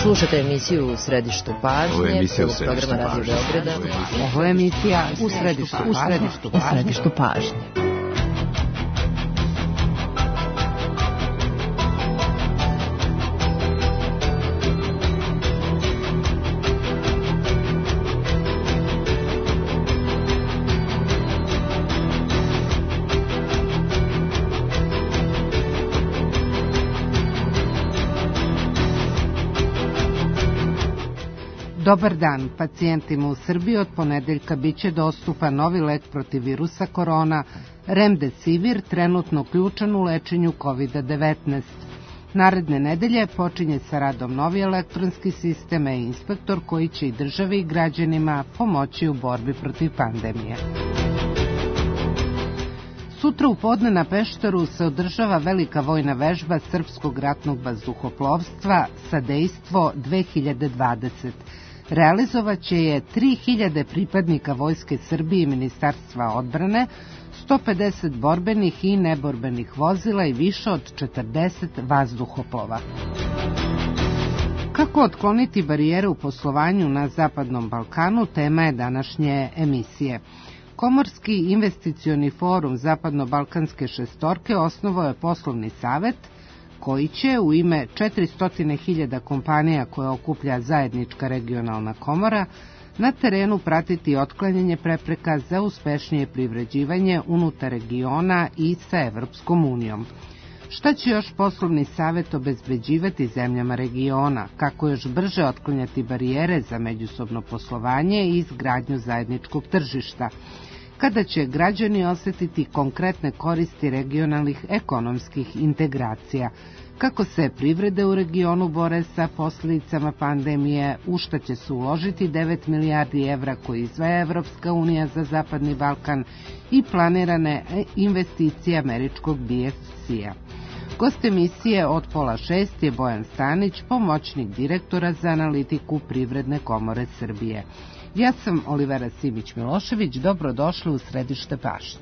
Slušate emisiju U središtu pažnje. Ovo je emisija U središtu pažnje. Ovo je emisija U središtu pažnje. Dobar dan, pacijentima u Srbiji od ponedeljka biće dostupan novi lek protiv virusa korona, Remdesivir, trenutno uključen u lečenju COVID-19. Naredne nedelje počinje sa radom novi elektronski sistem e-inspektor koji će i državi i građanima pomoći u borbi protiv pandemije. Sutra u podne na Pešteru se održava velika vojna vežba Srpskog ratnog vazduhoplovstva Sadejstvo 2020. Realizovaće je 3000 pripadnika Vojske Srbije i Ministarstva odbrane, 150 borbenih i neborbenih vozila i više od 40 vazduhoplova. Kako otkloniti barijere u poslovanju na Zapadnom Balkanu, tema je današnje emisije. Komorski investicioni forum Zapadno-Balkanske šestorke osnovao je poslovni savet koji će u ime 400.000 kompanija koje okuplja zajednička regionalna komora na terenu pratiti otklanjanje prepreka za uspešnije privređivanje unutar regiona i sa Evropskom unijom. Šta će još poslovni savet obezbeđivati zemljama regiona, kako još brže otklanjati barijere za međusobno poslovanje i izgradnju zajedničkog tržišta, kada će građani osjetiti konkretne koristi regionalnih ekonomskih integracija, kako se privrede u regionu bore sa posljedicama pandemije, u šta će se uložiti 9 milijardi evra koje izdvaja Evropska unija za Zapadni Balkan i planirane investicije američkog BFC-a. Gost emisije od 5:30 je Bojan Stanić, pomoćnik direktora za analitiku Privredne komore Srbije. Ja sam Olivera Simić-Milošević, dobrodošli u središte pažnje.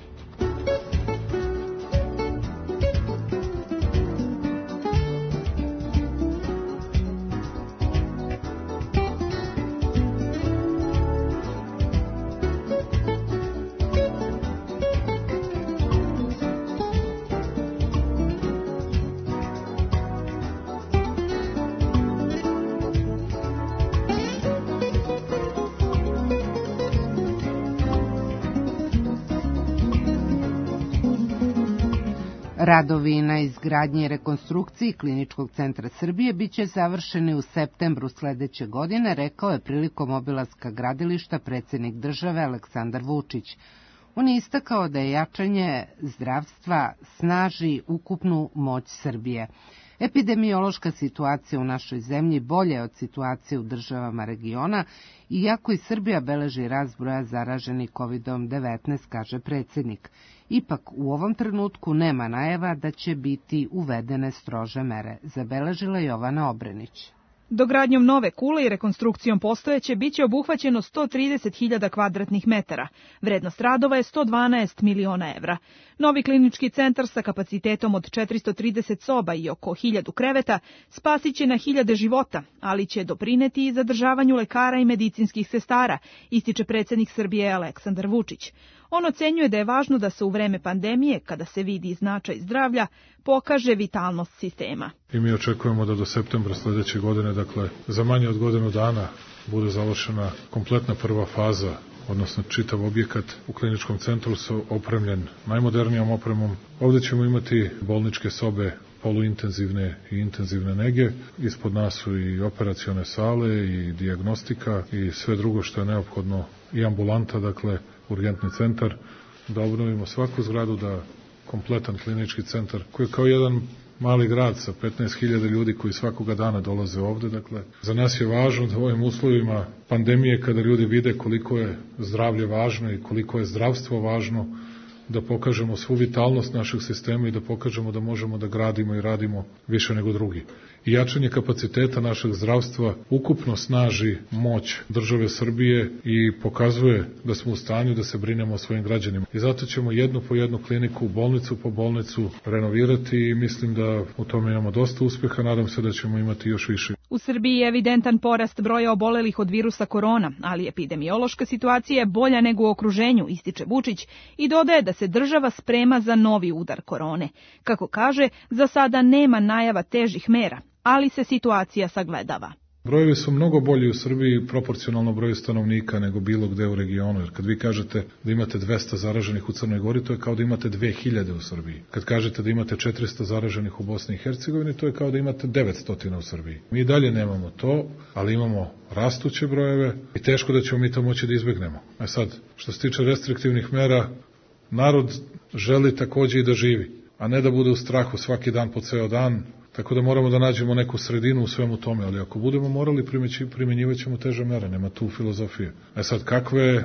Radovi na izgradnji i rekonstrukciji Kliničkog centra Srbije biće završeni u septembru sledeće godine, rekao je prilikom obilaska gradilišta predsjednik države Aleksandar Vučić. On je istakao da je jačanje zdravstva snaži ukupnu moć Srbije. Epidemiološka situacija u našoj zemlji bolja je od situacije u državama regiona, iako i Srbija beleži rast broja zaraženih COVID-19, kaže predsjednik. Ipak u ovom trenutku nema najava da će biti uvedene strože mere, zabeležila Jovana Obrenić. Dogradnjom nove kule i rekonstrukcijom postojeće biće obuhvaćeno 130.000 kvadratnih metara. Vrednost radova je 112 miliona evra. Novi klinički centar sa kapacitetom od 430 soba i oko 1000 kreveta spasiće na 1000 života, ali će doprineti i zadržavanju lekara i medicinskih sestara, ističe predsjednik Srbije Aleksandar Vučić. On ocenjuje da je važno da se u vreme pandemije, kada se vidi značaj zdravlja, pokaže vitalnost sistema. I mi očekujemo da do septembra sledeće godine, dakle za manje od godinu dana, bude završena kompletna prva faza, odnosno čitav objekat u kliničkom centru su opremljen najmodernijom opremom. Ovdje ćemo imati bolničke sobe poluintenzivne i intenzivne nege. Ispod nas su i operacione sale i dijagnostika i sve drugo što je neophodno i ambulanta, dakle urgentni centar, da obnovimo svaku zgradu, da kompletan klinički centar koji je kao jedan mali grad sa 15.000 ljudi koji svakoga dana dolaze ovde. Dakle, za nas je važno da u ovim uslovima pandemije, kada ljudi vide koliko je zdravlje važno i koliko je zdravstvo važno, da pokažemo svu vitalnost našeg sistema i da pokažemo da možemo da gradimo i radimo više nego drugi. I jačanje kapaciteta našeg zdravstva ukupno snaži moć države Srbije i pokazuje da smo u stanju da se brinemo o svojim građanima. I zato ćemo jednu po jednu kliniku, bolnicu po bolnicu renovirati i mislim da u tome imamo dosta uspeha, nadam se da ćemo imati još više. U Srbiji je evidentan porast broja obolelih od virusa korona, ali epidemiološka situacija je bolja nego u okruženju, ističe Vučić i dodaje da se država sprema za novi udar korone. Kako kaže, za sada nema najava težih mera, ali se situacija sagledava. Brojevi su mnogo bolji u Srbiji proporcionalno broju stanovnika nego bilo gde u regionu, jer kad vi kažete da imate 200 zaraženih u Crnoj Gori, to je kao da imate 2000 u Srbiji. Kad kažete da imate 400 zaraženih u Bosni i Hercegovini, to je kao da imate 900 u Srbiji. Mi dalje nemamo to, ali imamo rastuće brojeve i teško da ćemo mi to moći da izbegnemo. A sad, što se tiče restriktivnih mera, narod želi takođe i da živi, a ne da bude u strahu svaki dan po ceo dan. Tako da moramo da nađemo neku sredinu u svemu tome, ali ako budemo morali, primjenjivat ćemo teže mere, nema tu filozofije. A sad kakve,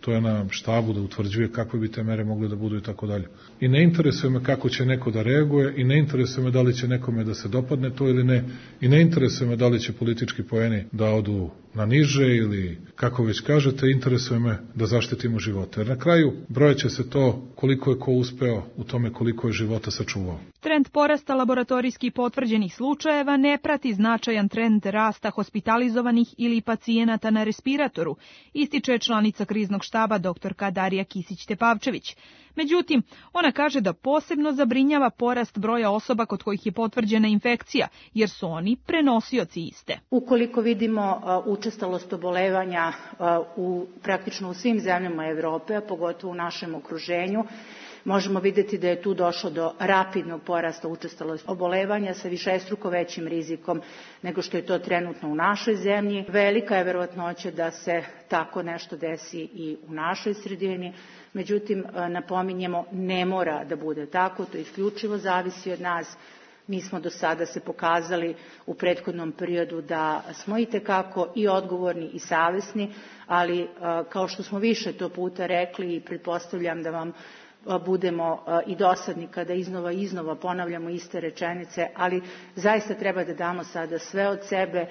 to je na štabu da utvrđuje kakve bi te mere mogle da budu i tako dalje. I ne interesuje me kako će neko da reaguje, i ne interesuje me da li će nekome da se dopadne to ili ne, i ne interesuje me da li će politički poeni da odu na niže ili, kako već kažete, interesuje me da zaštitimo živote. Jer na kraju brojeće se to koliko je ko uspeo u tome koliko je života sačuvao. Trend porasta laboratorijski potvrđenih slučajeva ne prati značajan trend rasta hospitalizovanih ili pacijenata na respiratoru, ističe članica kriznog štaba doktorka Darija Kisić-Tepavčević. Međutim, ona kaže da posebno zabrinjava porast broja osoba kod kojih je potvrđena infekcija, jer su oni prenosioci iste. Ukoliko vidimo učestalost obolevanja praktično u svim zemljama Evrope, a pogotovo u našem okruženju, možemo vidjeti da je tu došlo do rapidnog porasta učestalosti obolevanja sa višestruko većim rizikom nego što je to trenutno u našoj zemlji. Velika je verovatnoća da se tako nešto desi i u našoj sredini. Međutim, napominjemo, ne mora da bude tako, to isključivo zavisi od nas. Mi smo do sada se pokazali u prethodnom periodu da smo itekako i odgovorni i savesni, ali kao što smo više to puta rekli i pretpostavljam da vam budemo i dosadni kada iznova ponavljamo iste rečenice, ali zaista treba da damo sada sve od sebe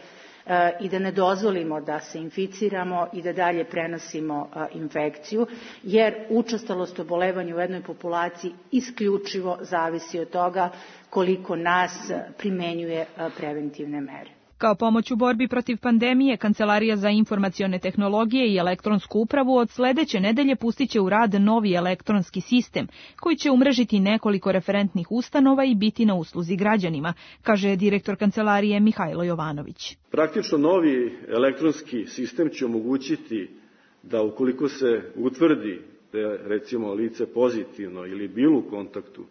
i da ne dozvolimo da se inficiramo i da dalje prenosimo infekciju, jer učestalost obolevanja u jednoj populaciji isključivo zavisi od toga koliko nas primenjuje preventivne mere. Kao pomoć u borbi protiv pandemije, Kancelarija za informacione tehnologije i elektronsku upravu od sledeće nedelje pustit će u rad novi elektronski sistem, koji će umrežiti nekoliko referentnih ustanova i biti na usluzi građanima, kaže direktor Kancelarije Mihajlo Jovanović. Praktično novi elektronski sistem će omogućiti da ukoliko se utvrdi da je recimo lice pozitivno ili bilo u kontaktu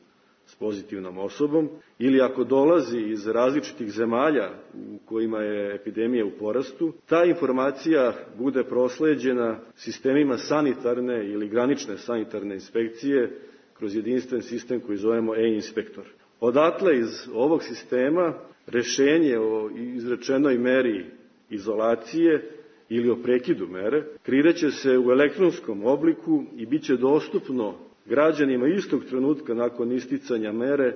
s pozitivnom osobom, ili ako dolazi iz različitih zemalja u kojima je epidemija u porastu, ta informacija bude prosleđena sistemima sanitarne ili granične sanitarne inspekcije kroz jedinstven sistem koji zovemo e-inspektor. Odatle iz ovog sistema rešenje o izrečenoj meri izolacije ili o prekidu mere kreirat se u elektronskom obliku i bit će dostupno građanima istog trenutka nakon isticanja mere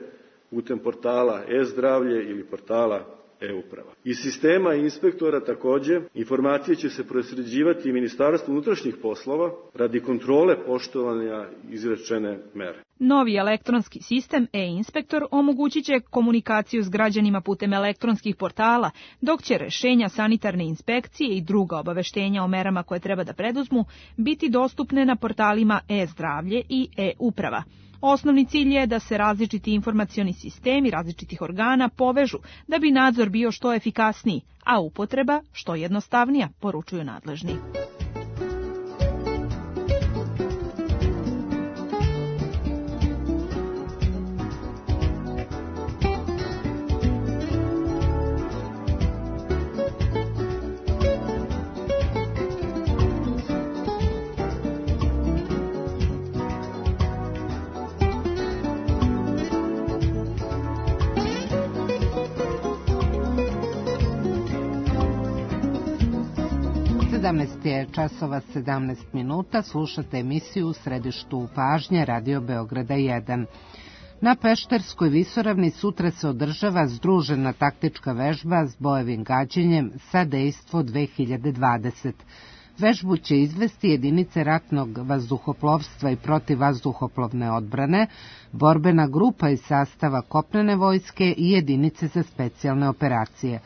putem portala e-zdravlje ili portala e-uprava. Iz sistema inspektora takođe informacije će se prosleđivati i Ministarstvu unutrašnjih poslova radi kontrole poštovanja izrečene mere. Novi elektronski sistem e-inspektor omogućit će komunikaciju s građanima putem elektronskih portala, dok će rešenja sanitarne inspekcije i druga obaveštenja o merama koje treba da preduzmu biti dostupne na portalima e-zdravlje i e-uprava. Osnovni cilj je da se različiti informacioni sistemi različitih organa povežu da bi nadzor bio što efikasniji, a upotreba što jednostavnija, poručuju nadležni. Je časova 17 minuta, slušate emisiju u središtu pažnje Radio Beograda 1. Na Pešterskoj visoravni sutra se održava združena taktička vežba s bojevim gađenjem sa Dejstvo 2020. Vežbu će izvesti jedinice ratnog vazduhoplovstva i protivvazduhoplovne odbrane, borbena grupa iz sastava kopnene vojske i jedinice za specijalne operacije.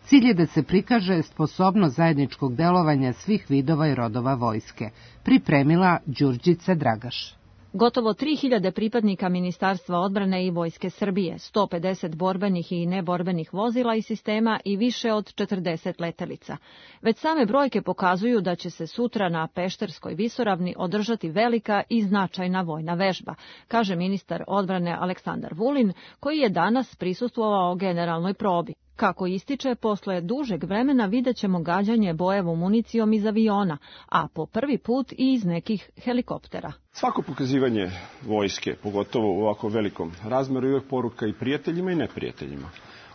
Cilj je da se prikaže sposobnost zajedničkog delovanja svih vidova i rodova vojske. Pripremila Đurđica Dragaš. Gotovo 3000 pripadnika Ministarstva odbrane i Vojske Srbije, 150 borbenih i neborbenih vozila i sistema i više od 40 letelica. Već same brojke pokazuju da će se sutra na Pešterskoj visoravni održati velika i značajna vojna vežba, kaže ministar odbrane Aleksandar Vulin, koji je danas prisustvovao generalnoj probi. Kako ističe, posle dužeg vremena vidjet ćemo gađanje bojevom municijom iz aviona, a po prvi put i iz nekih helikoptera. Svako pokazivanje vojske, pogotovo u ovako velikom razmeru, je uvek poruka i prijateljima i neprijateljima.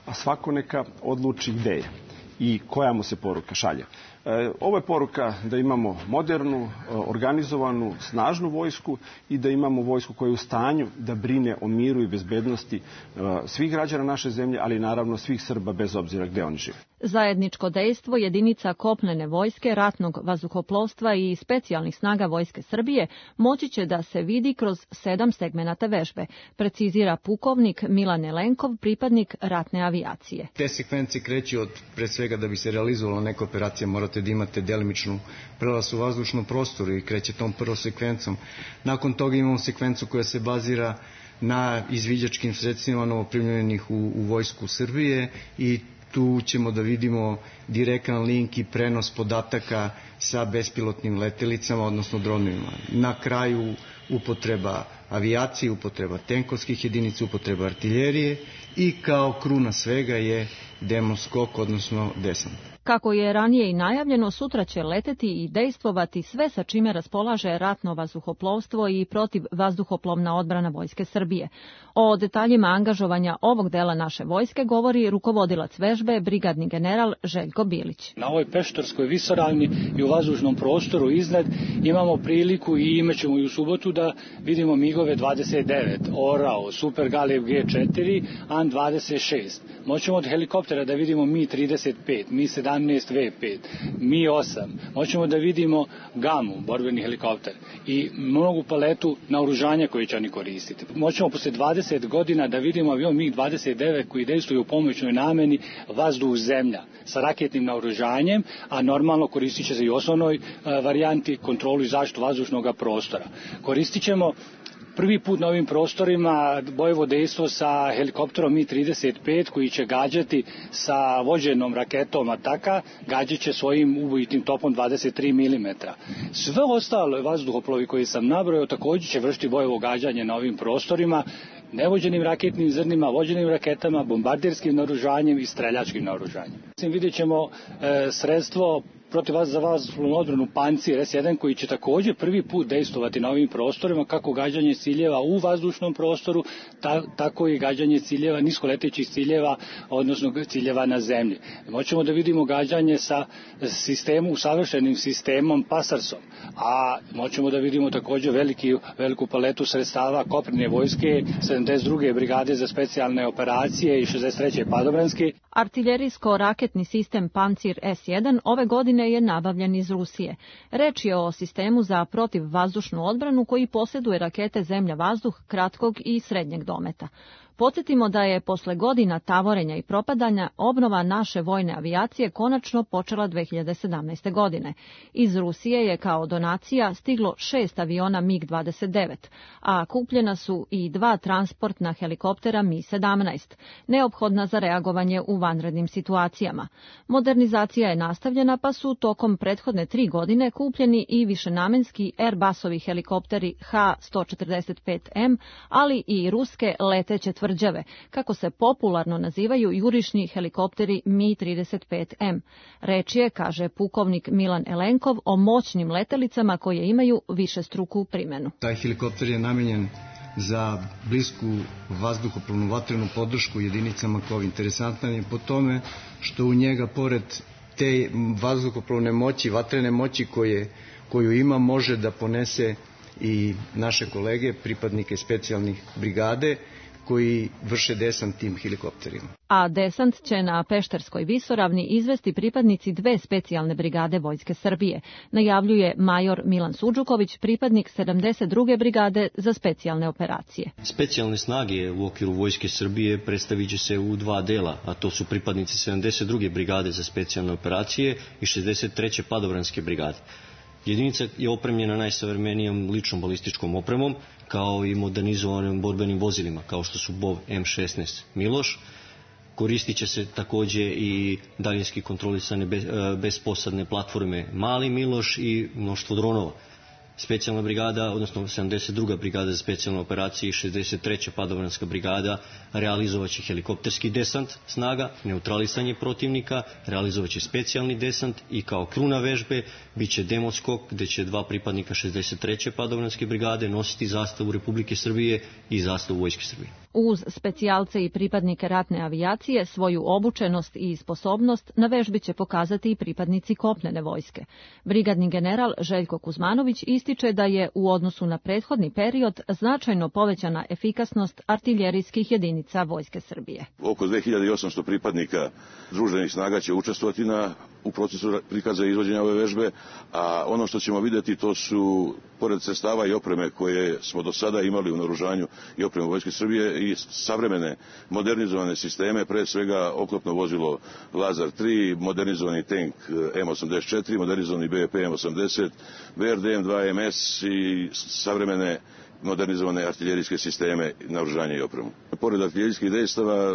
A svako neka odluči gde je i koja mu se poruka šalje. Ovo je poruka da imamo modernu, organizovanu, snažnu vojsku i da imamo vojsku koja je u stanju da brine o miru i bezbednosti svih građana naše zemlje, ali naravno svih Srba bez obzira gde oni žive. Zajedničko dejstvo jedinica kopnene vojske, ratnog vazduhoplovstva i specijalnih snaga Vojske Srbije moći će da se vidi kroz 7 segmenata vežbe, precizira pukovnik Milan Elenkov, pripadnik ratne avijacije. Te sekvence kreću od, pre svega, da bi se realizovala neka operacija, morate da imate delimičnu prelaz u vazdušnom prostoru i kreće tom prvom sekvencom. Nakon toga imamo sekvencu koja se bazira na izviđačkim sredstvima novoprimljenih u Vojsku Srbije i tu ćemo da vidimo direktan link i prenos podataka sa bespilotnim letelicama, odnosno dronovima. Na kraju upotreba avijacije, upotreba tenkovskih jedinica, upotreba artiljerije i kao kruna svega je demoskok, odnosno desant. Kako je ranije i najavljeno, sutra će leteti i dejstvovati sve sa čime raspolaže ratno vazduhoplovstvo i protivvazduhoplovna odbrana Vojske Srbije. O detaljima angažovanja ovog dela naše vojske govori rukovodilac vežbe, brigadni general Željko Bilić. Na ovoj Pešterskoj visoravni i u vazdušnom prostoru iznad imamo priliku i imaćemo i u subotu da vidimo MiG-ove 29, Orao, Super Galeb G4, An-26. Moćemo od helikoptera da vidimo Mi-35, Mi-17 V5, Mi-8. Moćemo da vidimo Gamu, borbeni helikopter, i mnogu paletu naoružanja koje će oni koristiti. Moćemo posle 20 godina da vidimo avion MiG-29 koji dejstvuje u pomoćnoj nameni vazduh-zemlja sa raketnim naoružanjem, a normalno koristit će se i u osnovnoj varijanti kontrolu i zaštitu vazdušnog prostora. Koristit ćemo prvi put na ovim prostorima bojevo dejstvo sa helikopterom Mi-35 koji će gađati sa vođenom raketom Ataka, gađat će svojim ubojitim topom 23 mm. Sve ostalo vazduhoplovi koji sam nabrojao također će vršiti bojevo gađanje na ovim prostorima, nevođenim raketnim zrnima, vođenim raketama, bombardirskim naoružanjem i streljačkim naoružanjem. Vidjet ćemo sredstvo za vazdušnu odbranu Pancir S1 koji će također prvi put dejstvovati na ovim prostorima, kako gađanje ciljeva u vazdušnom prostoru, tako i gađanje ciljeva, niskoletećih ciljeva, odnosno ciljeva na zemlji. Moćemo da vidimo gađanje sa savršenim sistemom Pasarsom, a moćemo da vidimo također veliku paletu sredstava kopnene vojske, 72. brigade za specijalne operacije i 63. padobranske. Artiljerijsko-raketni sistem Pancir S1 ove godine je nabavljen iz Rusije. Reč je o sistemu za protivvazdušnu odbranu koji posjeduje rakete zemlja-vazduh kratkog i srednjeg dometa. Podsjetimo da je posle godina tavorenja i propadanja obnova naše vojne avijacije konačno počela 2017. godine. Iz Rusije je kao donacija stiglo 6 aviona MiG-29, a kupljena su i 2 transportna helikoptera Mi-17, neophodna za reagovanje u vanrednim situacijama. Modernizacija je nastavljena, pa su tokom prethodne 3 godine kupljeni i višenamenski Airbusovi helikopteri H-145M, ali i ruske leteće tvrđave, kako se popularno nazivaju jurišni helikopteri Mi-35M. Reč je, kaže pukovnik Milan Elenkov, o moćnim letelicama koje imaju višestruku primenu. Taj helikopter je namenjen za blisku vazduhoplovnu vatrenu podršku jedinicama KOV. Interesantan je po tome što u njega, pored te vazduhoplovne moći, vatrene moći koju ima, može da ponese i naše kolege, pripadnike specijalnih brigade, koji vrše desant tim helikopterima. A desant će na Pešterskoj visoravni izvesti pripadnici 2 specijalne brigade Vojske Srbije, najavljuje major Milan Suđuković, pripadnik 72. brigade za specijalne operacije. Specijalne snage u okviru Vojske Srbije predstavit će se u 2 dela, a to su pripadnici 72. brigade za specijalne operacije i 63. padobranske brigade. Jedinica je opremljena najsavremenijom ličnom balističkom opremom, kao i modernizovanim borbenim vozilima, kao što su BOV M16 Miloš. Koristit će se takođe i daljinski kontrolisane besposadne platforme Mali Miloš i mnoštvo dronova. Specijalna brigada, odnosno 72. brigada za specijalne operacije i 63. padobranska brigada realizovaće helikopterski desant snaga, neutralisanje protivnika, realizovaće specijalni desant i kao kruna vežbe biće demoskok gde će 2 pripadnika 63. padobranske brigade nositi zastavu Republike Srbije i zastavu Vojske Srbije. Uz specijalce i pripadnike ratne avijacije svoju obučenost i sposobnost na vežbi će pokazati i pripadnici kopnene vojske. Brigadni general Željko Kuzmanović ističe da je u odnosu na prethodni period značajno povećana efikasnost artiljerijskih jedinica Vojske Srbije. Oko 2800 pripadnika združenih snaga će učestvovati u procesu prikaza i izvođenja ove vežbe, a ono što ćemo vidjeti to su, pored sredstava i opreme koje smo do sada imali u naoružanju i opremu Vojske Srbije, i savremene modernizovane sisteme, pre svega oklopno vozilo Lazar 3, modernizovani tank M84, modernizovani BVP M80, BRDM 2MS i savremene modernizovane artiljerijske sisteme, naoružanje i opremu. Pored artiljerijskih dejstava,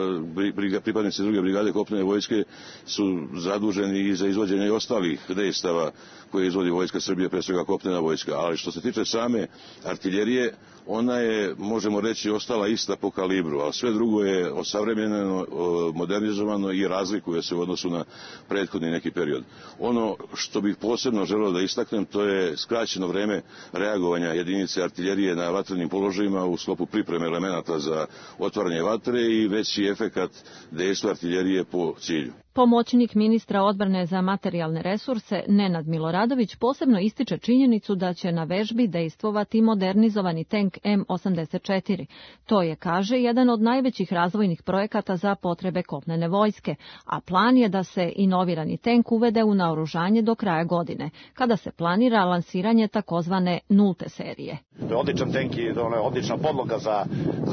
pripadnici druge brigade kopnene vojske su zaduženi i za izvođenje i ostalih dejstava koje izvodi Vojska Srbije, pre svega kopnena vojska. Ali što se tiče same artiljerije, ona je, možemo reći, ostala ista po kalibru, a sve drugo je osavremenjeno, modernizovano i razlikuje se u odnosu na prethodni neki period. Ono što bih posebno želeo da istaknem, to je skraćeno vreme reagovanja jedinice artiljerije na vatrenim položajima u sklopu pripreme elemenata za otvaranje vatre i veći efekat dejstva artiljerije po cilju. Pomoćnik ministra odbrane za materijalne resurse Nenad Miloradović posebno ističe činjenicu da će na vežbi dejstvovati modernizovani tank M84. To je, kaže, jedan od najvećih razvojnih projekata za potrebe kopnene vojske, a plan je da se inovirani tank uvede u naoružanje do kraja godine, kada se planira lansiranje takozvane nulte serije. To je odličan tank i odlična podloga za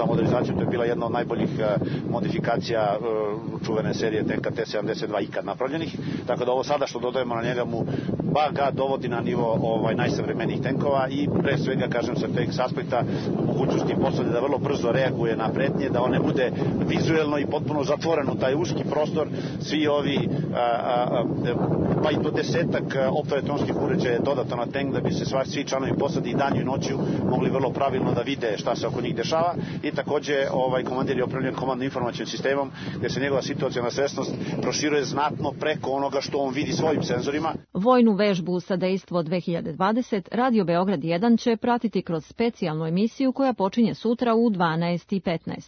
modernizaciju. To je bila jedna od najboljih modifikacija čuvene serije tanka T-72 ikad napravljenih. Tako da ovo sada što dodajemo na njega mu ga dovodi na nivo najsavremenijih tenkova i pre svega, kažem, sa teg aspekta mogućnosti postavlja da vrlo brzo reaguje na pretnje, da on ne bude vizuelno i potpuno zatvoren u taj uski prostor. Svi ovi pa i do 10 optoelektronskih uređaja je dodato na tank da bi se svi članovi posade i danju i noću mogli vrlo pravilno da vide šta se oko njih dešava i takođe komandir je opremljen komandno-informacionim sistemom gde se njegova situacijona svesnost proširuje znatno preko onoga što on vidi svojim senzorima. Vojnu vežbu Sadejstvo 2020 Radio Beograd 1 će pratiti kroz specijalnu emisiju koja počinje sutra u 12:15.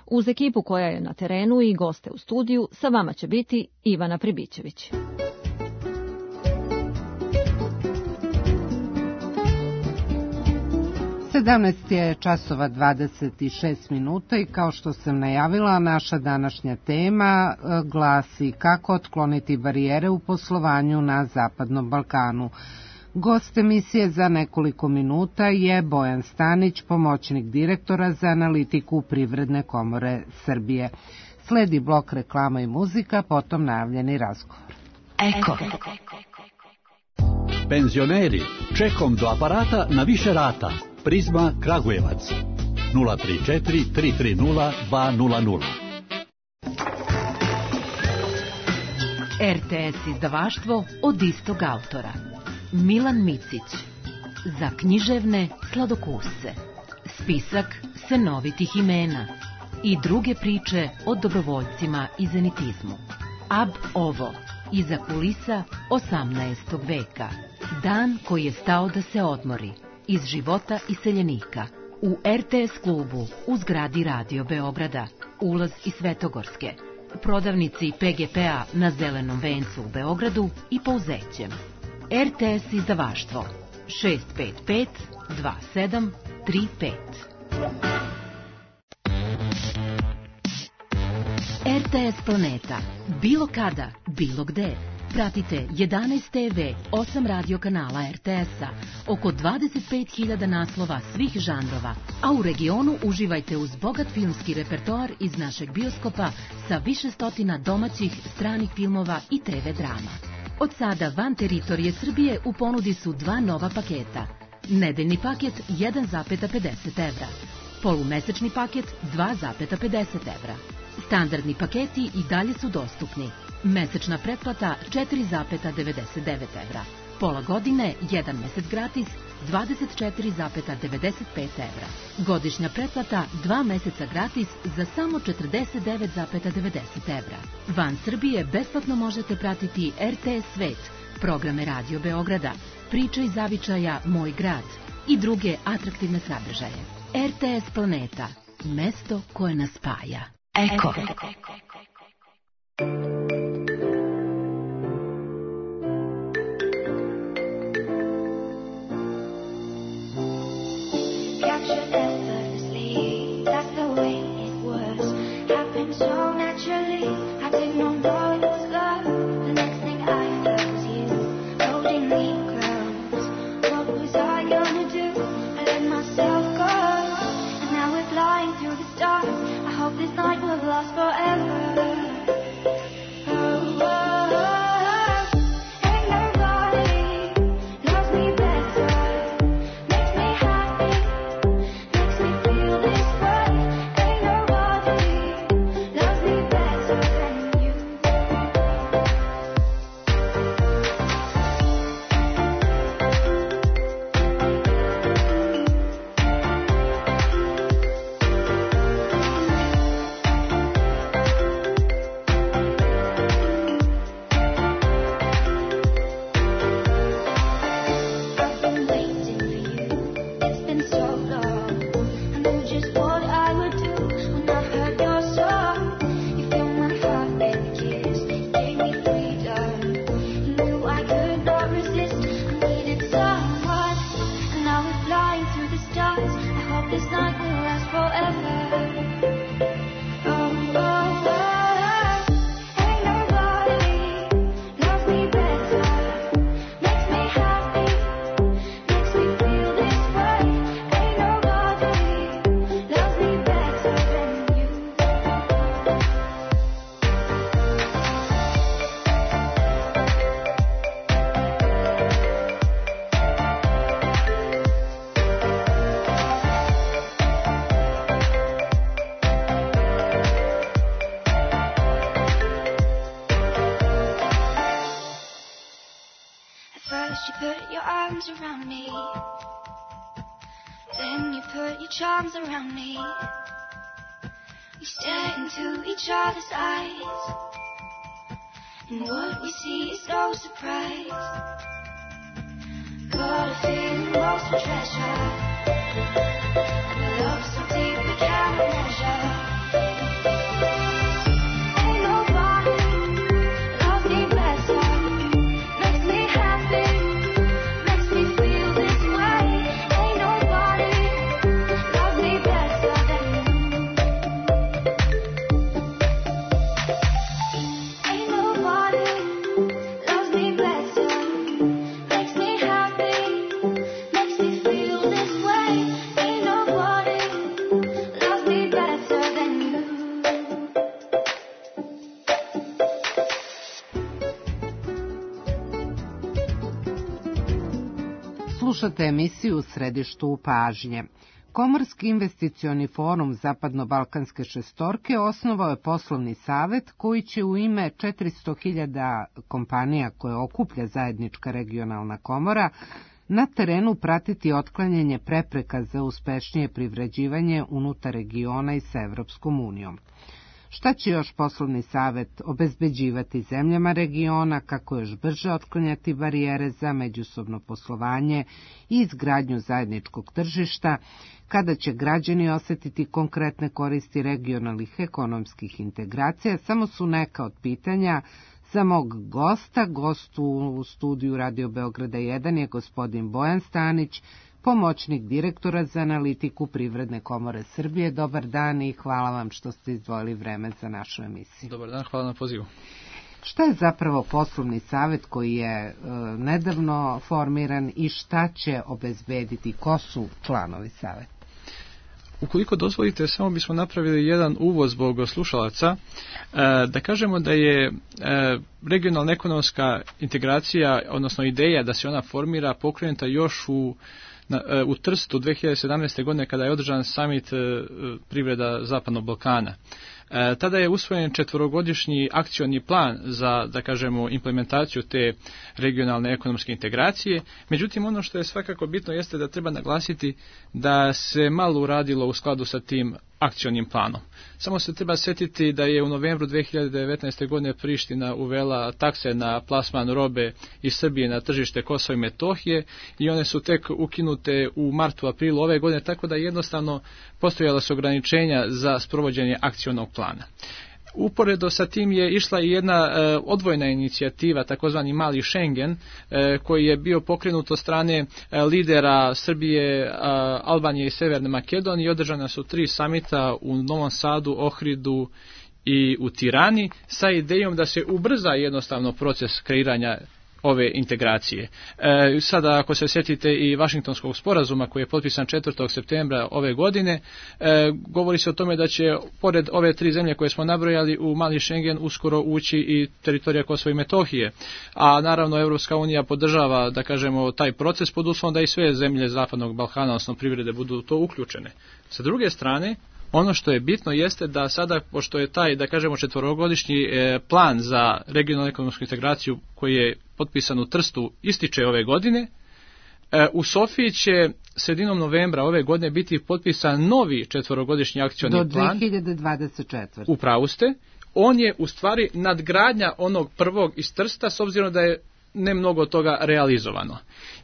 Uz ekipu koja je na terenu i goste u studiju, sa vama će biti Ivana Pribićević. 17 je časova 26 minuta i kao što sam najavila, naša današnja tema glasi kako otkloniti barijere u poslovanju na Zapadnom Balkanu. Gost emisije za nekoliko minuta je Bojan Stanić, pomoćnik direktora za analitiku Privredne komore Srbije. Sledi blok reklama i muzika, potom najavljeni razgovor. Eko. Penzioneri, čekom do aparata na više rata. Prizma Kragujevac 034 330 200. RTS izdavaštvo od istog autora. Milan Micić. Za književne sladokusce. Spisak senovitih imena i druge priče o dobrovoljcima i zenitizmu. Ab ovo, iza kulisa 18. veka. Dan koji je stao da se odmori. Iz života iseljenika. U RTS klubu u zgradi Radio Beograda. Ulaz iz Svetogorske. Prodavnici PGP-a na Zelenom vencu u Beogradu i Pouzećem. RTS izdavaštvo 655 2735. RTS Planeta. Bilo kada, bilo gde. Pratite 11 TV, 8 radio kanala RTS-a, oko 25.000 naslova svih žanrova, a u regionu uživajte uz bogat filmski repertoar iz našeg bioskopa sa više stotina domaćih, stranih filmova i TV drama. Od sada van teritorije Srbije u ponudi su 2 nova paketa. Nedeljni paket 1,50 evra, polumesečni paket 2,50 evra. Standardni paketi i dalje su dostupni. Mesečna pretplata 4,99 evra. Pola godine, 1 mesec gratis, 24,95 evra. Godišnja pretplata 2 meseca gratis za samo 49,90 evra. Van Srbije besplatno možete pratiti RTS Svet, programe Radio Beograda, Priče iz zavičaja Moj grad i druge atraktivne sadržaje. RTS Planeta, mesto koje nas spaja. Eko. Around me, we stare into each other's eyes, and what we see is no surprise. Got a feeling lost for treasure, and a love so deep we can't measure. Slušate emisiju u središtu pažnje. Komorski investicioni forum Zapadno-Balkanske šestorke osnovao je poslovni savet koji će u ime 400.000 kompanija koje okuplja zajednička regionalna komora na terenu pratiti otklanjanje prepreka za uspešnije privređivanje unutar regiona i sa Evropskom unijom. Šta će još poslovni savet obezbeđivati zemljama regiona, kako još brže otklanjati barijere za međusobno poslovanje i izgradnju zajedničkog tržišta, kada će građani osetiti konkretne koristi regionalnih ekonomskih integracija, samo su neka od pitanja za mog gosta. Gost u studiju Radio Beograda 1 je gospodin Bojan Stanić, pomoćnik direktora za analitiku Privredne komore Srbije. Dobar dan i hvala vam što ste izdvojili vreme za našu emisiju. Dobar dan, hvala na pozivu. Šta je zapravo poslovni savjet koji je nedavno formiran i šta će obezbediti? Ko su članovi savjeta? Ukoliko dozvolite, samo bismo napravili jedan uvod zbog slušalaca, da kažemo da je regionalna ekonomska integracija, odnosno ideja da se ona formira, pokrenuta još u Trstu 2017. godine kada je održan samit privreda Zapadnog Balkana. Tada je usvojen 4-godišnji akcioni plan za, da kažemo, implementaciju te regionalne ekonomske integracije. Međutim, ono što je svakako bitno jeste da treba naglasiti da se malo uradilo u skladu sa tim akcionim planom. Samo se treba sjetiti da je u novembru 2019. godine Priština uvela takse na plasman robe iz Srbije na tržište Kosova i Metohije i one su tek ukinute u martu, aprilu ove godine, tako da jednostavno postojala su ograničenja za sprovođenje akcionog plana. Uporedo sa tim je išla i jedna odvojna inicijativa, takozvani Mali Schengen, koji je bio pokrenut od strane lidera Srbije, Albanije i Severne Makedonije. Održana su 3 samita u Novom Sadu, Ohridu i u Tirani sa idejom da se ubrza jednostavno proces kreiranja ove integracije. Sada ako se sjetite i Vašingtonskog sporazuma koji je potpisan 4. septembra ove godine, govori se o tome da će pored ove 3 zemlje koje smo nabrojali u Mali Schengen uskoro ući i teritorija Kosova i Metohije. A naravno Evropska unija podržava, da kažemo, taj proces pod uslovom da i sve zemlje Zapadnog Balkana, odnosno privrede, budu to uključene. Sa druge strane, ono što je bitno jeste da sada, pošto je taj, da kažemo, 4-godišnji plan za regionalnu ekonomsku integraciju koji je potpisan u Trstu ističe ove godine, u Sofiji će sredinom novembra ove godine biti potpisan novi 4-godišnji akcioni plan. Do 2024. U pravu ste. On je u stvari nadgradnja onog prvog iz Trsta, s obzirom da je ne mnogo toga realizovano.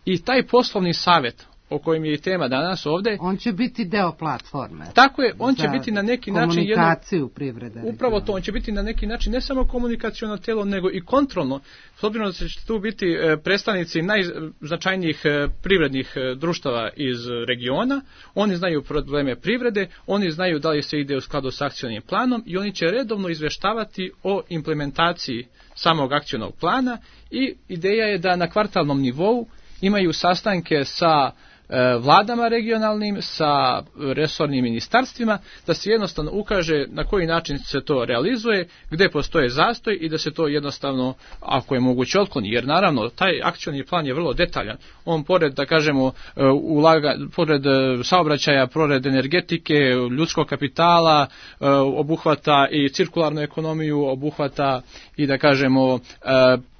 I taj poslovni savjet o kojem je i tema danas ovde. On će biti deo platforme. Tako je, on će biti na neki način komunikaciju privrede. Upravo to, on će biti na neki način ne samo komunikaciono telo, nego i kontrolno. S obzirom da će tu biti predstavnici najznačajnijih privrednih društava iz regiona, oni znaju probleme privrede, oni znaju da li se ide u skladu s akcionim planom i oni će redovno izveštavati o implementaciji samog akcionog plana i ideja je da na kvartalnom nivou imaju sastanke sa vladama regionalnim, sa resornim ministarstvima, da se jednostavno ukaže na koji način se to realizuje, gde postoje zastoj i da se to jednostavno, ako je moguće, otkloni. Jer naravno, taj akcioni plan je vrlo detaljan. On pored, da kažemo, pored saobraćaja, pored energetike, ljudskog kapitala, obuhvata i cirkularnu ekonomiju, obuhvata i, da kažemo,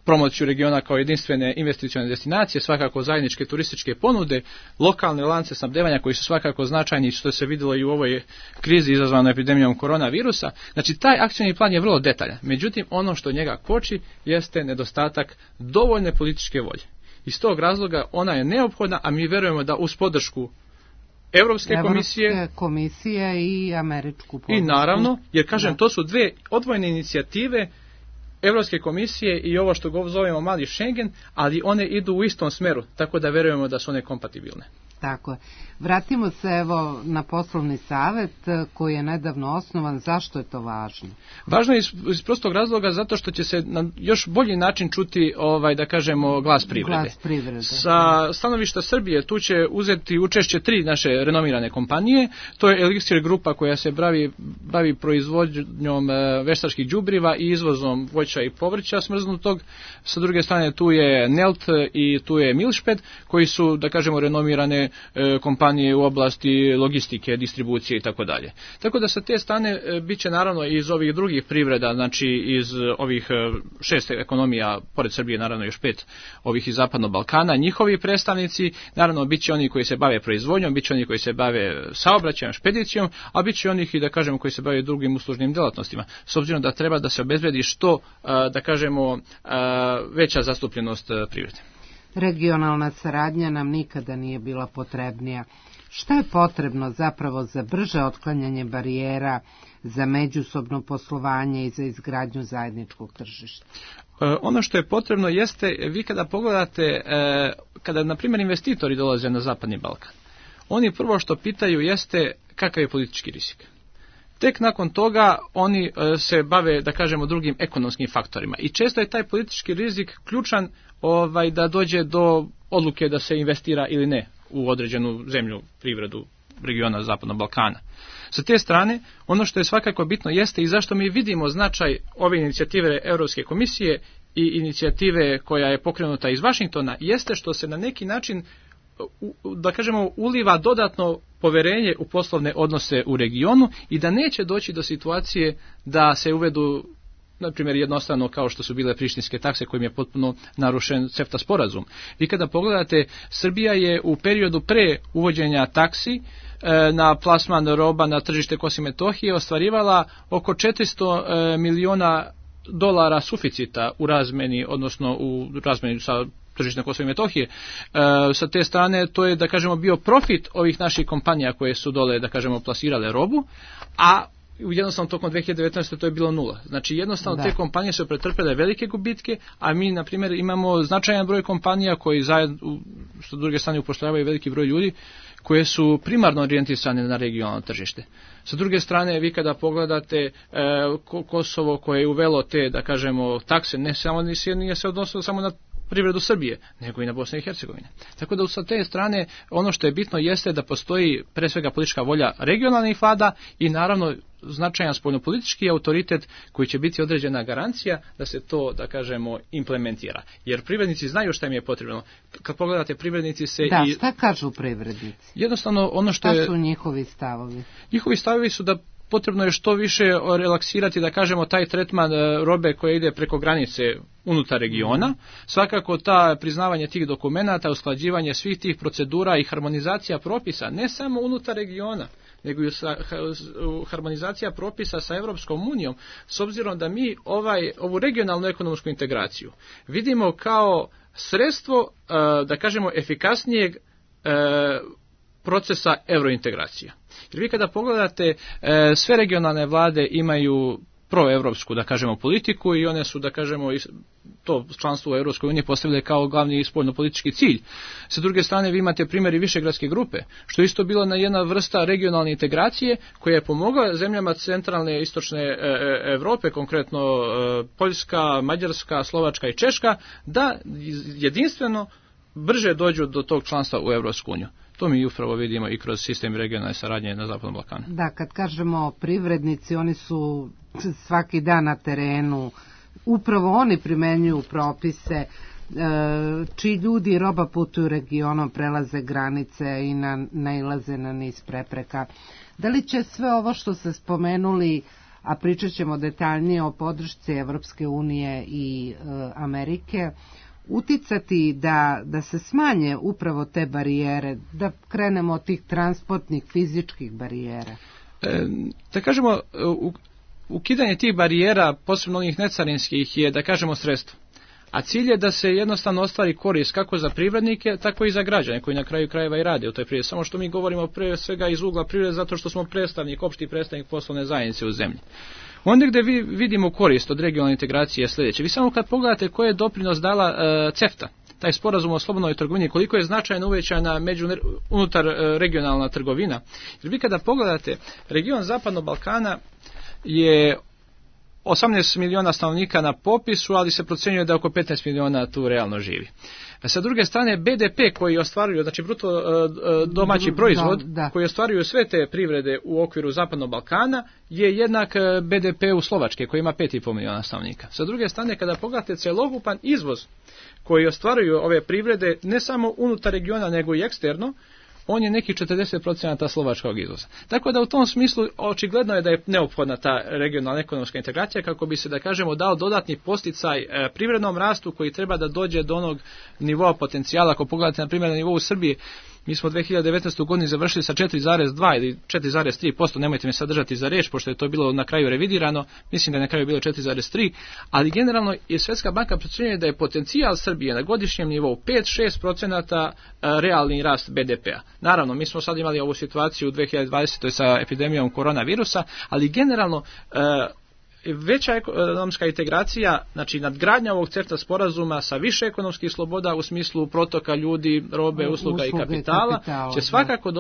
promociju regiona kao jedinstvene investicione destinacije, svakako zajedničke turističke ponude, lokalne lance snabdevanja koji su svakako značajni, što se vidjelo i u ovoj krizi izazvanoj epidemijom koronavirusa. Znači, taj akcioni plan je vrlo detaljan. Međutim, ono što njega koči jeste nedostatak dovoljne političke volje. Iz tog razloga ona je neophodna, a mi verujemo da uz podršku Evropske komisije i američku podršku. I naravno, jer kažem, to su 2 odvojene inicijative Evropske komisije i ovo što zovemo Mali Schengen, ali one idu u istom smeru, tako da verujemo da su one kompatibilne. Tako je. Vratimo se evo na poslovni savjet koji je nedavno osnovan. Zašto je to važno? Važno je iz prostog razloga zato što će se na još bolji način čuti, da kažemo, glas privrede. Glas privrede. Sa stanovišta Srbije tu će uzeti učešće 3 naše renomirane kompanije. To je Elixir grupa koja se bavi proizvodnjom veštačkih đubriva i izvozom voća i povrća smrznutog. Sa druge strane tu je Nelt i tu je Milšped koji su, da kažemo, renomirane kompanije u oblasti logistike, distribucije i tako dalje. Tako da sa te strane bit će naravno iz ovih drugih privreda, znači iz ovih 6 ekonomija, pored Srbije naravno još 5 ovih iz Zapadnog Balkana, njihovi predstavnici, naravno bit će oni koji se bave proizvodnjom, bit će oni koji se bave saobraćajem, špedicijom, a bit će onih i, da kažemo, koji se bave drugim uslužnim delatnostima, s obzirom da treba da se obezbedi što, da kažemo, veća zastupljenost privrede. Regionalna saradnja nam nikada nije bila potrebnija. Šta je potrebno zapravo za brže otklanjanje barijera za međusobno poslovanje i za izgradnju zajedničkog tržišta? Ono što je potrebno jeste, vi kada pogledate, kada na primjer investitori dolaze na Zapadni Balkan, oni prvo što pitaju jeste kakav je politički rizik. Tek nakon toga oni se bave, da kažemo, drugim ekonomskim faktorima. I često je taj politički rizik ključan da dođe do odluke da se investira ili ne u određenu zemlju, privredu regiona Zapadnog Balkana. Sa te strane, ono što je svakako bitno jeste i zašto mi vidimo značaj ove inicijative Europske komisije i inicijative koja je pokrenuta iz Vašingtona, jeste što se na neki način, da kažemo, uliva dodatno poverenje u poslovne odnose u regionu i da neće doći do situacije da se uvedu, na primjer, jednostavno kao što su bile prištinske takse kojim je potpuno narušen CEFTA sporazum. Vi kada pogledate, Srbija je u periodu pre uvođenja taksi na plasman roba na tržište Kosova i Metohije ostvarivala oko 400 miliona dolara suficita u razmeni, odnosno u razmeni sa tržište Kosova i Metohije. Sa te strane to je, da kažemo, bio profit ovih naših kompanija koje su dole, da kažemo, plasirale robu, a jednostavno tokom 2019. to je bilo nula. Znači jednostavno te kompanije su pretrpele velike gubitke, a mi na primjer imamo značajan broj kompanija koji zajedno, s druge strane, upošljavaju veliki broj ljudi koje su primarno orijentisane na regionalno tržište. Sa druge strane, vi kada pogledate Kosovo koje je uvelo te, da kažemo, takse, nije se odnosilo samo na privredu Srbije, nego i na Bosne i Hercegovine. Tako da sa te strane ono što je bitno jeste da postoji pre svega politička volja regionalnih vlada i naravno značajan spoljnopolitički autoritet koji će biti određena garancija da se to, da kažemo, implementira. Jer privrednici znaju šta im je potrebno. Kad pogledate, privrednici se šta kažu privrednici? Jednostavno ono što Šta su njihovi stavovi? Njihovi stavovi su da potrebno je što više relaksirati, da kažemo, taj tretman robe koja ide preko granice unutar regiona. Svakako ta priznavanje tih dokumenata, usklađivanje svih tih procedura i harmonizacija propisa, ne samo unutar regiona, nego i harmonizacija propisa sa Europskom unijom, s obzirom da mi ovu regionalnu ekonomsku integraciju vidimo kao sredstvo, da kažemo, efikasnijeg procesa eurointegracija. Jer vi kada pogledate, sve regionalne vlade imaju proevropsku, da kažemo, politiku i one su, da kažemo, to članstvo u Europskoj uniji postavile kao glavni spoljnopolitički cilj. Sa druge strane, vi imate primjer i Višegradske grupe, što je isto bila jedna vrsta regionalne integracije koja je pomogla zemljama centralne i istočne Evrope, konkretno Poljska, Mađarska, Slovačka i Češka, da jedinstveno brže dođu do tog članstva u Europsku uniju. To mi upravo vidimo i kroz sistem regionalne saradnje na Zapadnom Balkanu. Da, kad kažemo privrednici, oni su svaki dan na terenu, upravo oni primenjuju propise, čiji ljudi i roba putuju regionom, prelaze granice i nailaze na niz prepreka. Da li će sve ovo što ste spomenuli, a pričat ćemo detaljnije o podršci Evropske unije i Amerike, uticati da se smanje upravo te barijere, da krenemo od tih transportnih fizičkih barijera? Da kažemo, ukidanje tih barijera, posebno onih necarinskih, je, da kažemo, sredstvo. A cilj je da se jednostavno ostvari korist kako za privrednike, tako i za građane koji na kraju krajeva i rade u toj privredi. Samo što mi govorimo pre svega iz ugla privrede zato što smo opšti predstavnik poslovne zajednice u zemlji. Onda gde vi vidimo korist od regionalne integracije je sljedeće. Vi samo kad pogledate koji je doprinos dala CEFTA, taj sporazum o slobodnoj trgovini, koliko je značajno uvećana unutar regionalna trgovina. Jer vi kada pogledate, region Zapadnog Balkana je 18 miliona stanovnika na popisu, ali se procenjuje da oko 15 miliona tu realno živi. Sa druge strane, BDP koji ostvaruju, znači bruto domaći proizvod, koji ostvaruju sve te privrede u okviru Zapadnog Balkana, je jednak BDP-u Slovačke, koji ima 5,5 miliona stanovnika. Sa druge strane, kada pogledate celokupan izvoz koji ostvaruju ove privrede, ne samo unutar regiona, nego i eksterno, on je nekih 40% slovačkog izvoza. Tako da u tom smislu očigledno je da je neophodna ta regionalna ekonomska integracija kako bi se, da kažemo, dao dodatni posticaj privrednom rastu koji treba da dođe do onog nivoa potencijala. Ako pogledate, na primjer, na nivou Srbije, Mi smo 2019. godinu završili sa 4,2 ili 4,3%, nemojte me sad držati za reč, pošto je to bilo na kraju revidirano, mislim da je na kraju bilo 4,3%, ali generalno je Svjetska banka procjenjuje da je potencijal Srbije na godišnjem nivou 5-6% realni rast BDP-a. Naravno, mi smo sad imali ovu situaciju u 2020. sa epidemijom koronavirusa, ali generalno veća ekonomska integracija, znači nadgradnja ovog CEFTA sporazuma sa više ekonomskih sloboda u smislu protoka ljudi, robe, usluga i kapitala će svakako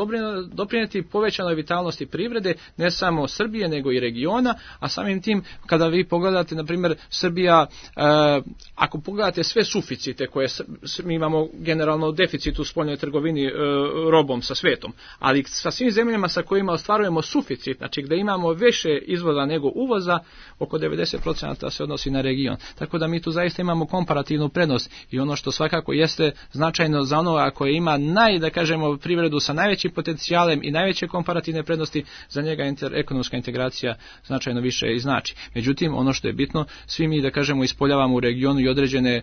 doprinijeti povećanoj vitalnosti privrede, ne samo Srbije nego i regiona, a samim tim kada vi pogledate, na primjer, Srbija, ako pogledate sve suficite koje mi imamo generalno deficit u spoljnoj trgovini robom sa svetom, ali sa svim zemljama sa kojima ostvarujemo suficit, znači gdje imamo više izvoza nego uvoza, oko 90% se odnosi na region. Tako da mi tu zaista imamo komparativnu prednost i ono što svakako jeste značajno za onoga koje ima privredu sa najvećim potencijalem i najveće komparativne prednosti, za njega ekonomska integracija značajno više i znači. Međutim, ono što je bitno, svi mi ispoljavamo u regionu i određene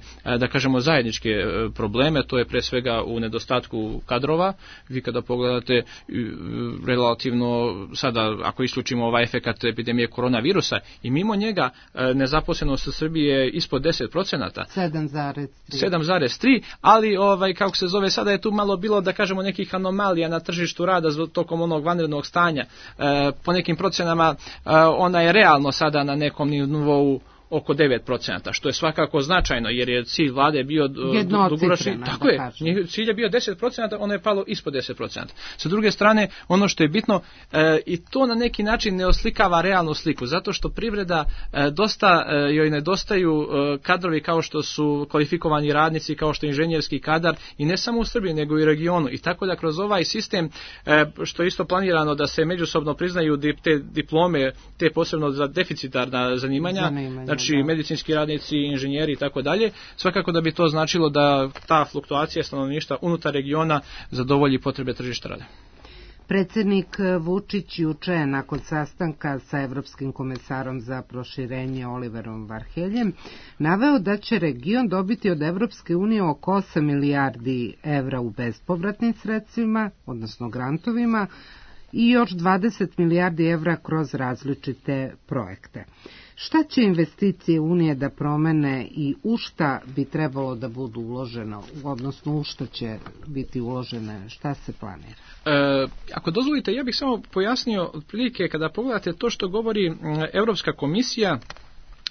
zajedničke probleme, to je pre svega u nedostatku kadrova. Vi kada pogledate relativno sada, ako isključimo ovaj efekat epidemije koronavirusa, i mimo njega nezaposlenost u Srbiji je ispod 10%. 7,3, ali sada je tu malo bilo nekih anomalija na tržištu rada tokom onog vanrednog stanja. Po nekim procenama ona je realno sada na nekom nivou oko 9%, što je svakako značajno, jer je cilj vlade bio dugoročni. Tako je, cilj je bio 10%, ono je palo ispod 10%. Sa druge strane, ono što je bitno, i to na neki način ne oslikava realnu sliku, zato što privreda dosta joj nedostaju kadrovi kao što su kvalifikovani radnici, kao što je inženjerski kadar, i ne samo u Srbiji, nego i u regionu. I tako da kroz ovaj sistem, što je isto planirano da se međusobno priznaju te diplome, te posebno za deficitarna zanimanja, znači medicinski radnici, inženjeri i tako dalje, svakako da bi to značilo da ta fluktuacija stanovništva unutar regiona zadovolji potrebe tržišta rada. Predsjednik Vučić juče je nakon sastanka sa Evropskim komesarom za proširenje Oliverom Varheljem naveo da će region dobiti od Evropske unije oko 8 milijardi evra u bespovratnim sredstvima, odnosno grantovima, i još 20 milijardi evra kroz različite projekte. Šta će investicije Unije da promene i u šta bi trebalo da budu uloženo, odnosno u šta će biti uložene, šta se planira? Ako dozvolite, ja bih samo pojasnio otprilike kada pogledate to što govori Europska komisija,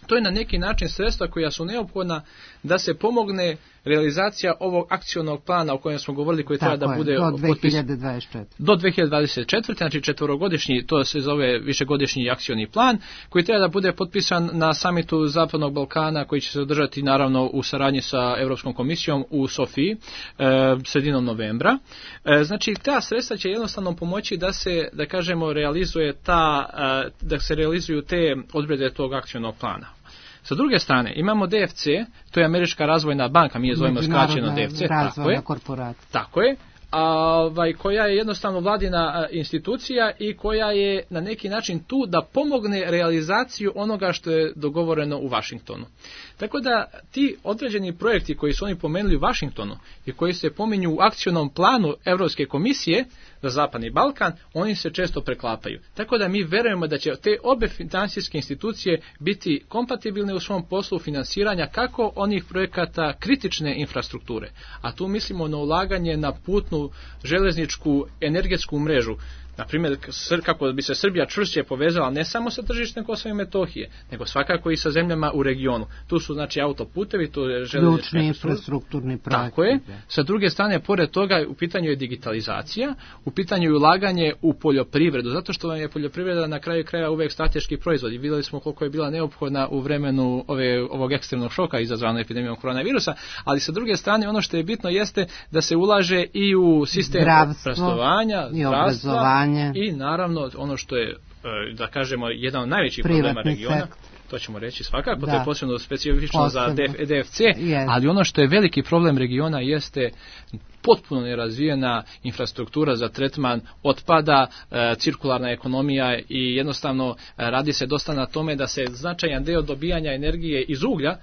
to je na neki način sredstva koja su neophodna da se pomogne realizacija ovog akcionog plana o kojem smo govorili, koji treba da bude do 2024. Do 2024. Znači četvorogodišnji, to se zove višegodišnji akcioni plan, koji treba da bude potpisan na samitu Zapadnog Balkana, koji će se održati naravno u saradnji sa Europskom komisijom u Sofiji sredinom novembra. Znači ta sredstva će jednostavno pomoći da se, da se realizuju te odredbe tog akcionog plana. Sa druge strane, imamo DFC, to je Američka razvojna banka, mi je zovemo skraćeno DFC, tako je, koja je jednostavno vladina institucija i koja je na neki način tu da pomogne realizaciju onoga što je dogovoreno u Vašingtonu. Tako da ti određeni projekti koji su oni pomenuli u Vašingtonu i koji se pominju u akcionom planu Europske komisije za Zapadni Balkan, oni se često preklapaju. Tako da mi verujemo da će te obe finansijske institucije biti kompatibilne u svom poslu finansiranja kako onih projekata kritične infrastrukture. A tu mislimo na ulaganje na putnu, železničku, energetsku mrežu. Na primjer, kako bi se Srbija čvršće povezala ne samo sa tržištem Kosova i Metohije, nego svakako i sa zemljama u regionu. Tu su znači autoputevi, tu je železnička infrastrukturni projekti. Tako je. Sa druge strane, pored toga, u pitanju je digitalizacija, u pitanju je ulaganje u poljoprivredu, zato što vam je poljoprivreda na kraju kraja uvek strateški proizvod. I vidjeli smo koliko je bila neophodna u vremenu ovog ekstremnog šoka izazvanog epidemijom koronavirusa, ali sa druge strane ono što je bitno jeste da se ulaže i u sistem obrazovanja, obrazovanja. I naravno ono što je, da kažemo, jedan od najvećih problema regiona, to ćemo reći svakako, to je posebno specifično za DFC, ali ono što je veliki problem regiona jeste potpuno nerazvijena infrastruktura za tretman otpada, cirkularna ekonomija i jednostavno radi se dosta na tome da se značajan deo dobijanja energije iz uglja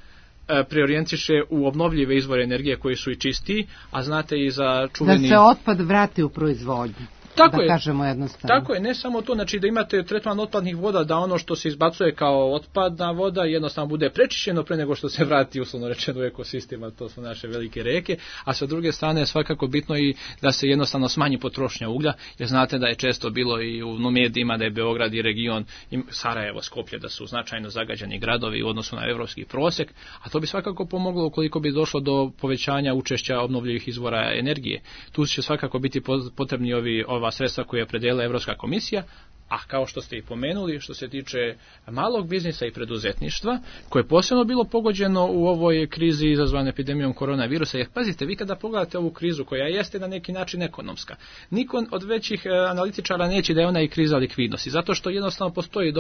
preorijentiše u obnovljive izvore energije koji su i čistiji, a znate i za čuveni... Da se otpad vrati u proizvodnju. Tako da je, kažemo jednostavno. Tako je, ne samo to, znači da imate tretman otpadnih voda, da ono što se izbacuje kao otpadna voda jednostavno bude prečišćeno pre nego što se vrati, uslovno rečeno, u ekosistem, a to su naše velike reke, a sa druge strane je svakako bitno i da se jednostavno smanji potrošnja uglja, jer znate da je često bilo i u medijima da je Beograd i region, i Sarajevo, Skoplje, da su značajno zagađeni gradovi u odnosu na evropski prosek, a to bi svakako pomoglo ukoliko bi došlo do povećanja učešća obnovljivih izvora energije. Tu će svakako biti potrebni ova sredstva koje je opredelila Evropska komisija, a kao što ste i pomenuli, što se tiče malog biznisa i preduzetništva, koje je posebno bilo pogođeno u ovoj krizi izazvane epidemijom koronavirusa, jer pazite, vi kada pogledate ovu krizu koja jeste na neki način ekonomska, niko od većih analitičara neće da je ona i kriza likvidnosti, zato što jednostavno postoji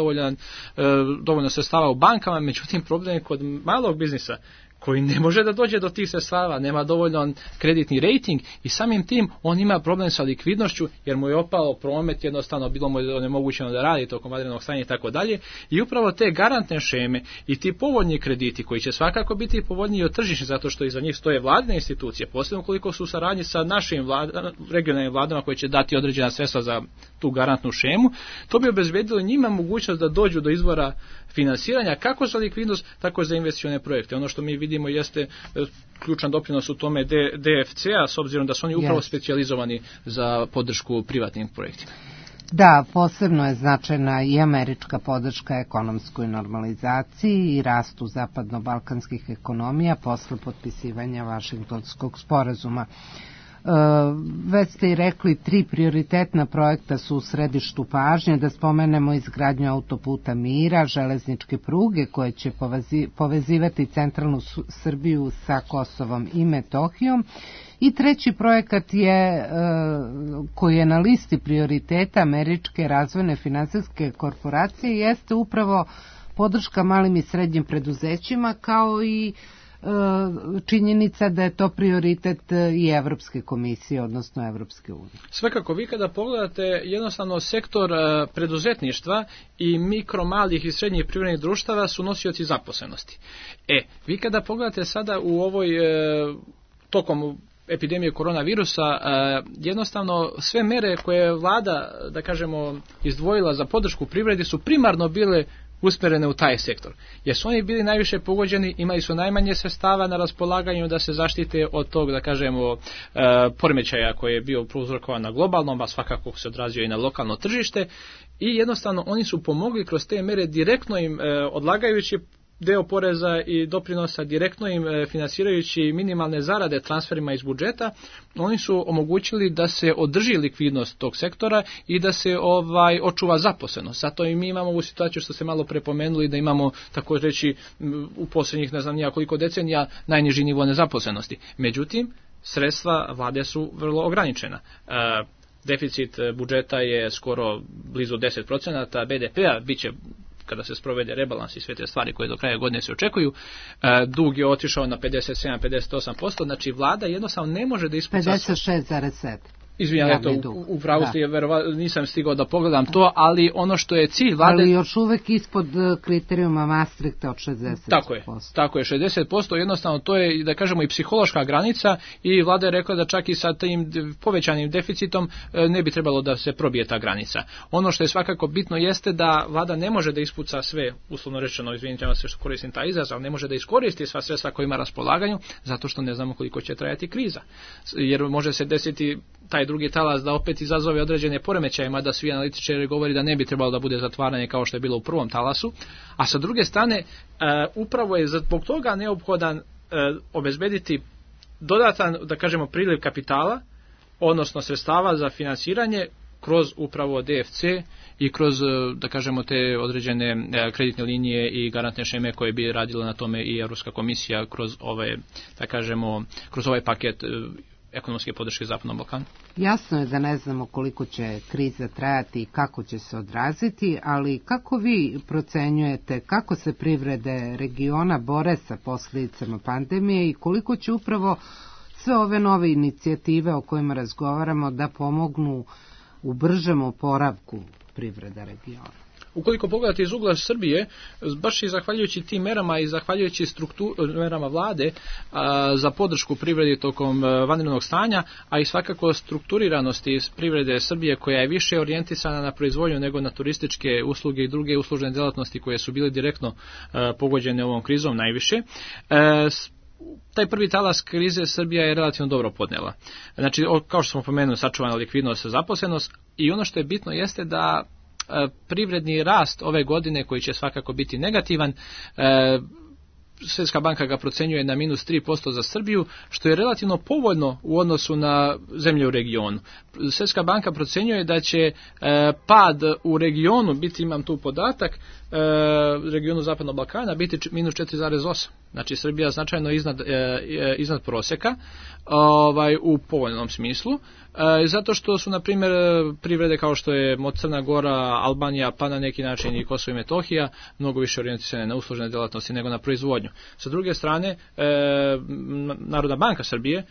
dovoljno sredstava u bankama, međutim problem je kod malog biznisa koji ne može da dođe do tih sredstava, nema dovoljno kreditni rating i samim tim on ima problem sa likvidnošću jer mu je opao promet, jednostavno bilo mu je onemogućeno da radi tokom vanrednog stanja i tako dalje. I upravo te garantne šeme i ti povoljni krediti koji će svakako biti povoljniji od tržišnih zato što iza njih stoje vladine institucije, posebno koliko su u saradnji sa našim regionalnim vladama koje će dati određena sredstva za tu garantnu šemu, to bi obezbedilo njima mogućnost da dođu do izvora finansiranja kako za likvidnost, tako i za investicione projekte. Ono što mi vidimo jeste ključan doprinos u tome DFC-a, s obzirom da su oni upravo specijalizovani za podršku privatnim projektima. Da, posebno je značajna i američka podrška ekonomskoj normalizaciji i rastu zapadno-balkanskih ekonomija posle potpisivanja Vašingtonskog sporazuma. Već ste i rekli, 3 prioritetna projekta su u središtu pažnje, da spomenemo izgradnju autoputa Mira, železničke pruge koje će povezivati centralnu Srbiju sa Kosovom i Metohijom. I treći projekat je, koji je na listi prioriteta Američke razvojne finansijske korporacije, jeste upravo podrška malim i srednjim preduzećima, kao i činjenica da je to prioritet i Evropske komisije, odnosno Evropske unije. Svakako, vi kada pogledate jednostavno sektor preduzetništva i mikro, malih i srednjih privrednih društava su nosioci zaposlenosti. Vi kada pogledate sada u ovoj tokom epidemije koronavirusa, jednostavno sve mere koje je vlada, da kažemo, izdvojila za podršku privredi su primarno bile usmerene u taj sektor. Jer su oni bili najviše pogođeni, imali su najmanje sredstava na raspolaganju da se zaštite od tog, da kažemo, poremećaja koji je bio prouzrokovan na globalnom, a svakako se odrazio i na lokalno tržište, i jednostavno oni su pomogli kroz te mere direktno im odlagajući deo poreza i doprinosa, direktno im finansirajući minimalne zarade transferima iz budžeta, oni su omogućili da se održi likvidnost tog sektora i da se očuva zaposlenost. Zato i mi imamo ovu situaciju što ste malo prepomenuli, da imamo, tako reći, u posljednjih ne znam nija koliko decenija najniži nivo nezaposlenosti. Međutim, sredstva vlade su vrlo ograničena. Deficit budžeta je skoro blizu 10% BDP-a, bit će kada se sprovede rebalans i sve te stvari koje do kraja godine se očekuju, dug je otišao na 57-58%, znači vlada jednostavno ne može da ispuca... 56,7%. Izvinjam, u pravu ste, nisam stigao da pogledam to, ali ono što je cilj vlade... Ali još uvek ispod kriterijuma Maastrichta od 60%. Tako je, 60%, jednostavno to je, da kažemo, i psihološka granica, i vlada je rekla da čak i sa tim povećanim deficitom ne bi trebalo da se probije ta granica. Ono što je svakako bitno jeste da vlada ne može da ispuca sve, uslovno rečeno, izvinite se što koristim taj izraz, ali ne može da iskoristi sva sredstva koja ima na raspolaganju, zato što ne znamo koliko će trajati kriza. Jer može se desiti taj drugi talas da opet izazove određene poremećaje, mada svi analitičari govori da ne bi trebalo da bude zatvaranje kao što je bilo u prvom talasu, a sa druge strane upravo je zbog toga neophodan obezbediti dodatan, da kažemo, priliv kapitala, odnosno sredstava za finansiranje kroz upravo DFC i kroz, da kažemo, te određene kreditne linije i garantne šeme koje bi radila na tome i Evropska komisija kroz ove, da kažemo, kroz ovaj paket ekonomske podrške Zapadnom Balkanu. Jasno je da ne znamo koliko će kriza trajati i kako će se odraziti, ali kako vi procenjujete kako se privrede regiona bore sa posljedicama pandemije i koliko će upravo sve ove nove inicijative o kojima razgovaramo da pomognu u bržem oporavku privreda regiona? ukoliko pogledate iz ugla Srbije, baš i zahvaljujući tim merama i zahvaljujući merama vlade za podršku privredi tokom vanrednog stanja, a i svakako strukturiranosti privrede Srbije koja je više orijentisana na proizvodnju nego na turističke usluge i druge uslužne delatnosti koje su bile direktno pogođene ovom krizom najviše. Taj prvi talas krize Srbija je relativno dobro podnela. Znači, kao što smo pomenuli, sačuvana likvidnost, zaposlenost, i ono što je bitno jeste da privredni rast ove godine, koji će svakako biti negativan, Svjetska banka ga procenjuje na minus 3% za Srbiju, što je relativno povoljno u odnosu na zemlje u regionu. Svjetska banka procenjuje da će pad u regionu biti, imam tu podatak, regionu Zapadnog Balkana biti minus 4,8. Znači Srbija značajno iznad prosjeka u povoljnom smislu, zato što su, na primjer, privrede kao što je Crna Gora, Albanija, pa na neki način i Kosovo i Metohija mnogo više orijentisane na uslužne delatnosti nego na proizvodnju. Sa druge strane, Narodna banka Srbije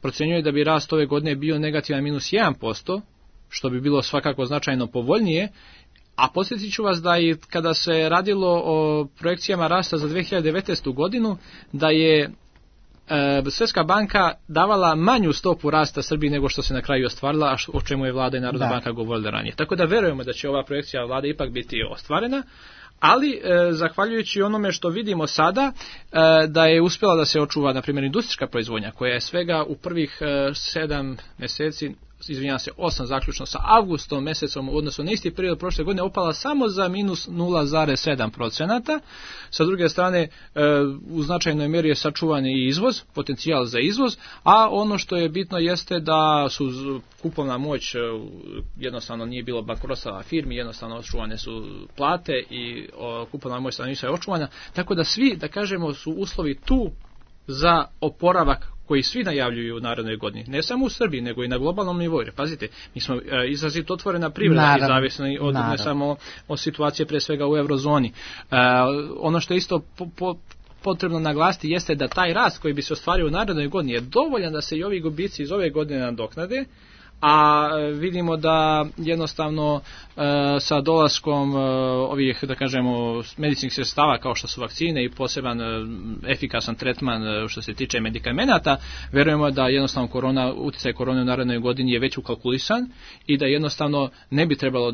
procenjuje da bi rast ove godine bio negativan minus 1%, što bi bilo svakako značajno povoljnije. A podsjetit ću vas da i kada se radilo o projekcijama rasta za 2019. godinu, da je Svjetska banka davala manju stopu rasta Srbiji nego što se na kraju ostvarila, o čemu je vlada i Narodna banka govorila ranije. Tako da verujemo da će ova projekcija vlade ipak biti ostvarena, ali zahvaljujući onome što vidimo sada, da je uspjela da se očuva, na primjer, industrijska proizvodnja, koja je svega u prvih 7 mjeseci, 8 zaključno sa avgustom mjesecom u odnosu na isti period prošle godine, opala samo za minus 0,7%. Sa druge strane, u značajnoj mjeri je sačuvan i izvoz, potencijal za izvoz, a ono što je bitno jeste da su kupovna moć, jednostavno nije bilo bankrotstva firmi, jednostavno očuvane su plate i kupovna moć stanovništva je očuvana, tako da svi, da kažemo, su uslovi tu za oporavak koji svi najavljuju u narednoj godini. Ne samo u Srbiji, nego i na globalnom nivou. Pazite, mi smo izrazito otvorena privreda i zavisni od ne samo od situacije pre svega u eurozoni. Ono što je isto potrebno naglasiti jeste da taj rast koji bi se ostvario u narednoj godini je dovoljan da se i ovi gubici iz ove godine nadoknade, a vidimo da jednostavno sa dolaskom ovih, da kažemo, medicinskih sredstava kao što su vakcine i poseban efikasan tretman što se tiče medikamenata, verujemo da jednostavno utjecaj korone u narednoj godini je već ukalkulisan i da jednostavno ne bi trebalo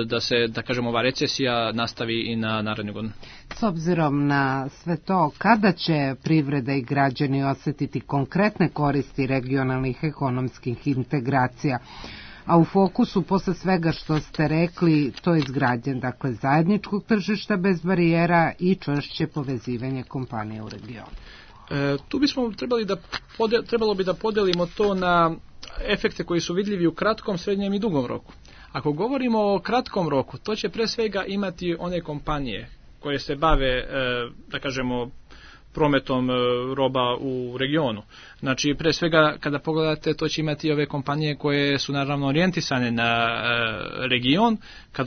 da se, da kažemo, ova recesija nastavi i na narednu godinu. S obzirom na sve to, kada će privreda i građani osjetiti konkretne koristi regionalnih ekonomskih integracija? A u fokusu, posle svega što ste rekli, to je izgradnje, dakle, zajedničkog tržišta bez barijera i čvršće povezivanje kompanije u regionu. Tu bismo trebalo bi da podelimo to na efekte koji su vidljivi u kratkom, srednjem i dugom roku. Ako govorimo o kratkom roku, to će pre svega imati one kompanije koje se bave, da kažemo, prometom roba u regionu. Znači, pre svega, kada pogledate, to će imati ove kompanije koje su naravno orijentisane na region,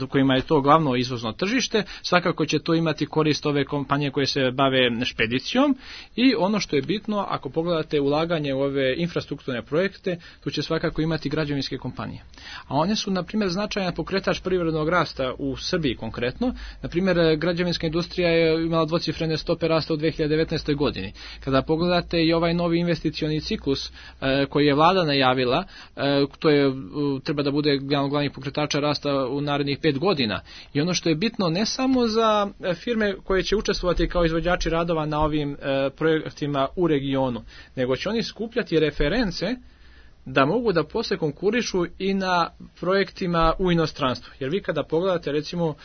kojima je to glavno izvozno tržište. Svakako će to imati korist ove kompanije koje se bave špedicijom i ono što je bitno, ako pogledate ulaganje u ove infrastrukturne projekte, tu će svakako imati građevinske kompanije. A one su, na primjer, značajan pokretač privrednog rasta u Srbiji konkretno. Na primjer, građevinska industrija je imala dvocifrene stope rasta u 2019. godini. Kada pogledate i ovaj novi investicioni ciklus koji je vlada najavila, to je treba da bude glavni pokretača rasta u narednih 5 godina. I ono što je bitno ne samo za firme koje će učestvovati kao izvođači radova na ovim projektima u regionu, nego će oni skupljati reference da mogu da posle konkurišu i na projektima u inostranstvu. Jer vi kada pogledate, recimo,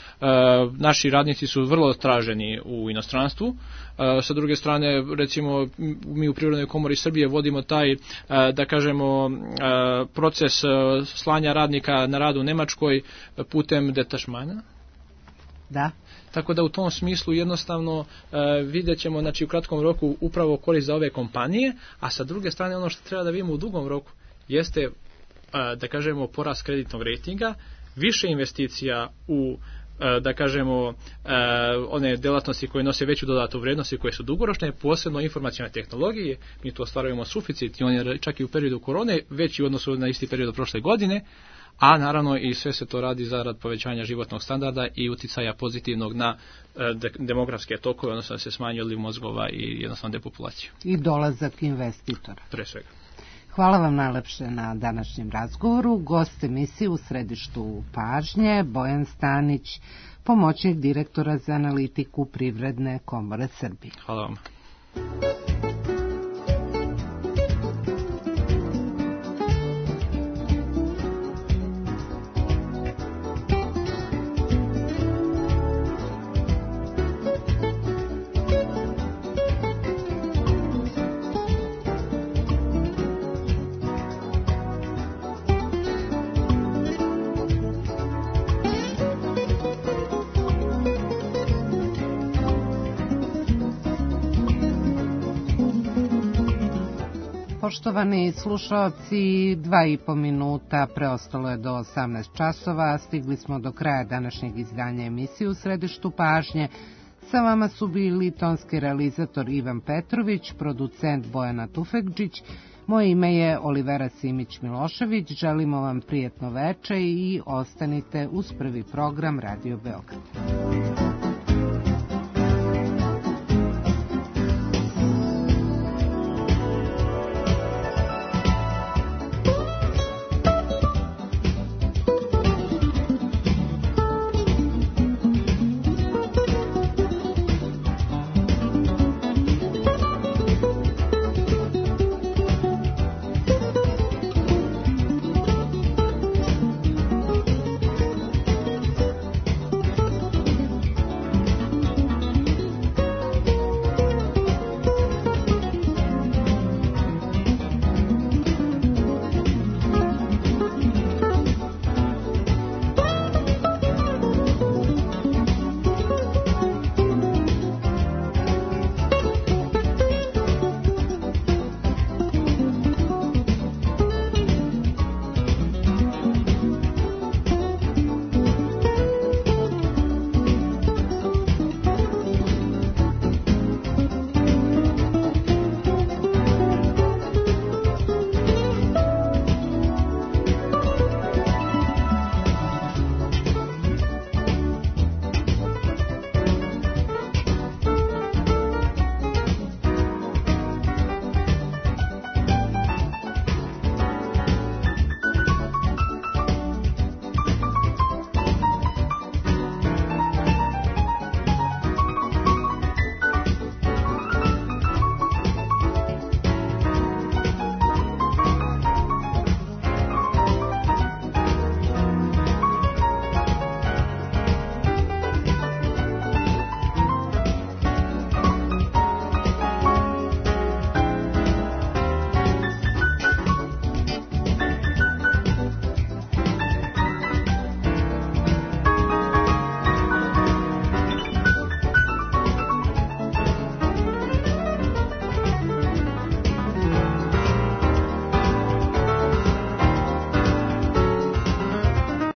naši radnici su vrlo traženi u inostranstvu. Sa druge strane, recimo, mi u Privrednoj komori Srbije vodimo taj, da kažemo, proces slanja radnika na rad u Nemačkoj putem detašmana. Da. Tako da u tom smislu jednostavno vidjet ćemo, znači, u kratkom roku upravo korist za ove kompanije, a sa druge strane ono što treba da vidimo u dugom roku jeste, da kažemo, porast kreditnog rejtinga, više investicija u, da kažemo, one delatnosti koje nose veću dodatu vrijednost i koje su dugoročne, posebno informacione tehnologije. Mi tu ostvarujemo suficit i on je čak i u periodu korone veći u odnosu na isti period prošle godine, a naravno i sve se to radi zarad povećanja životnog standarda i uticaja pozitivnog na demografske tokove, odnosno da se smanji odliv mozgova i jednostavno depopulaciju. I dolazak investitora. Pre svega. Hvala vam najlepše na današnjem razgovoru. Gost emisije u središtu pažnje Bojan Stanić, pomoćnik direktora za analitiku Privredne komore Srbije. Hvala vam. Poštovani slušalci, 2,5 minuta preostalo je do 18 časova. Stigli smo do kraja današnjeg izdanja emisije u središtu pažnje. Sa vama su bili tonski realizator Ivan Petrović, producent Bojana Tufekđić. Moje ime je Olivera Simić-Milošević. Želimo vam prijetno veče i ostanite uz prvi program Radio Beograd.